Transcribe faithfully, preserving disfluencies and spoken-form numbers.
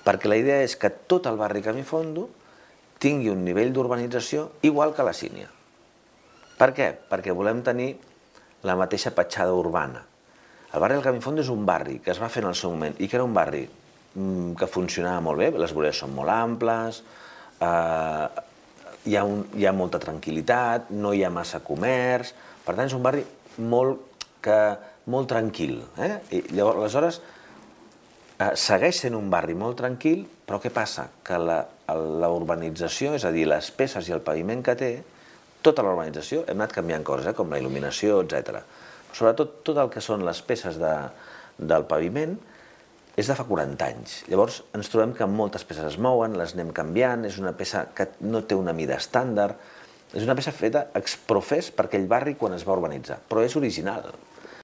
perquè la idea és que tot el barri Camifondo tingui un nivell d'urbanització igual que la Sínia. Per què? Perquè volem tenir la mateixa petjada urbana. El barri del Camifondo és un barri que es va fer en el seu moment i que era un barri que funcionava molt bé, les voreres són molt amples, hi ha molta tranquil·litat, no hi ha massa comerç, per tant és un barri molt tranquil. Aleshores, segueix sent un barri molt tranquil, però què passa? Que la urbanització, és a dir, les peces i el paviment que té, tota la urbanització, hem anat canviant coses, com la il·luminació, etcètera. Sobretot tot el que són les peces del paviment és de fa quaranta anys. Llavors ens trobem que moltes peces es mouen, les anem canviant, és una peça que no té una mida estàndard, és una peça feta exprofés per aquell barri quan es va urbanitzar, però és original.